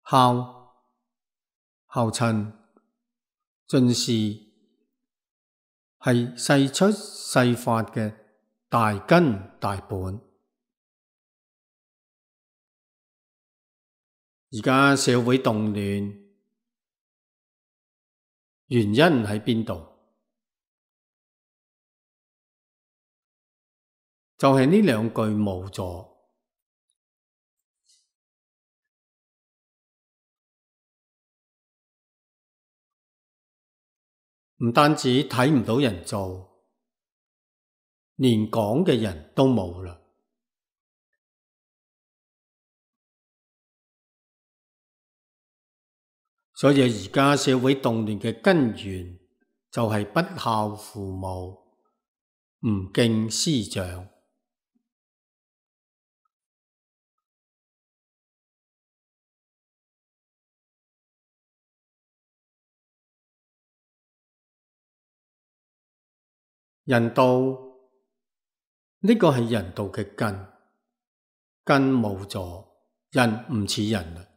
孝親盡是係世出世法嘅大根大本。而家社會動亂，原因喺邊度？就係呢兩句冇咗。唔單止睇唔到人做，連講嘅人都冇啦。所以而家社會動亂嘅根源就係不孝父母，唔敬師長。人道，呢個係人道嘅根，根冇咗，人唔似人啦。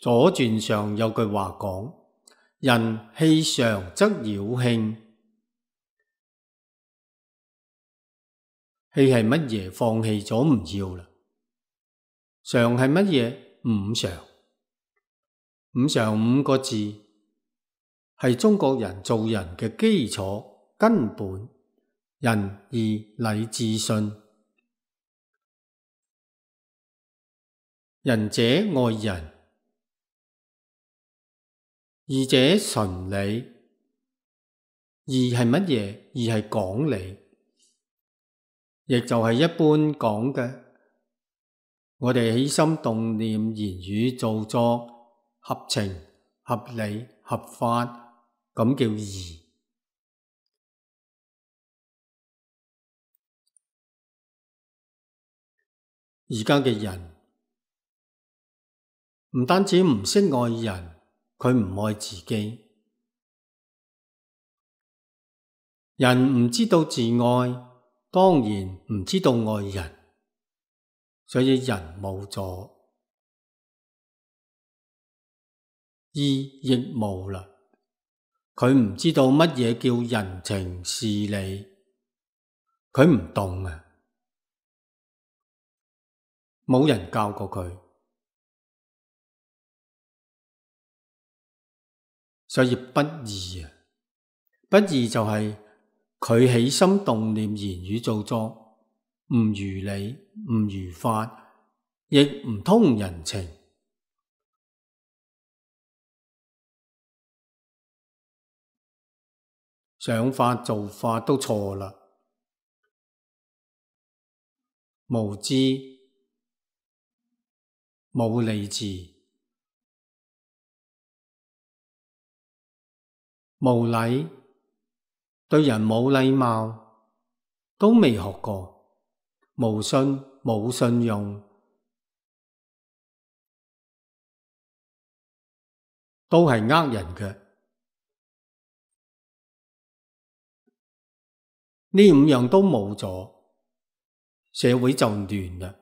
左傳上有句話講：人氣常則擾慶。氣係乜嘢？放棄咗唔要啦。常係乜嘢？五常。五常五個字係中國人做人嘅基礎根本，仁義禮智信。仁者愛人，義者循理。義係乜嘢？義係講理，亦就係一般講嘅，我哋起心動念、言語造作合情、合理、合法，咁叫義。而家嘅人唔單止唔識愛人，佢唔愛自己。人唔知道自愛，當然唔知道愛人，所以人冇咗，義亦冇啦。佢唔知道乜嘢叫人情事理，佢唔懂啊，冇人教過佢，所以不義啊！不義就係佢起心動念、言語造作唔如理、唔如法，亦唔通人情。想法做法都錯啦，無知、冇理智、無禮，對人冇禮貌，都未學過，無信冇信用，都係呃人嘅。呢五樣都冇咗，社會就亂啦。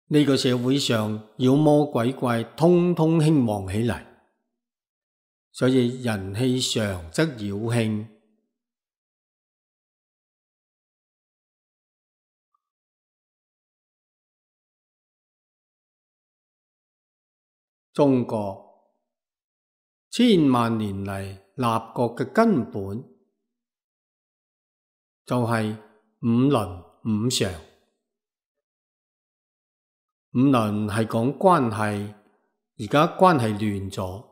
呢個社會上妖魔鬼怪通通興旺起嚟，所以人氣常則擾慶。中國千萬年嚟立國嘅根本就係五倫五常。五倫係講關係，而家關係亂咗，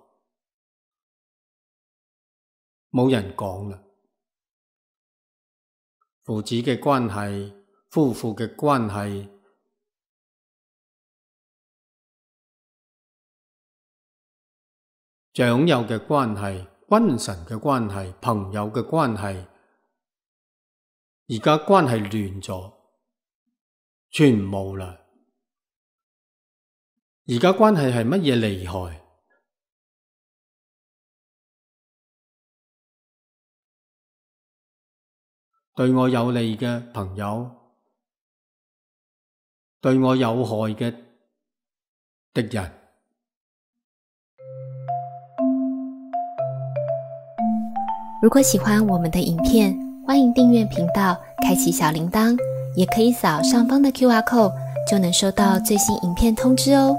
冇人講啦。父子嘅關係，夫婦嘅關係，長幼嘅關係，君臣嘅關係，朋友嘅關係，而家關係亂咗，全冇啦。而家關係係乜嘢厲害？對我有利嘅朋友，對我有害嘅敵人。如果喜歡我們的影片，歡迎訂閱頻道，開啟小鈴鐺，也可以掃上方的 QR code，就能收到最新影片通知哦。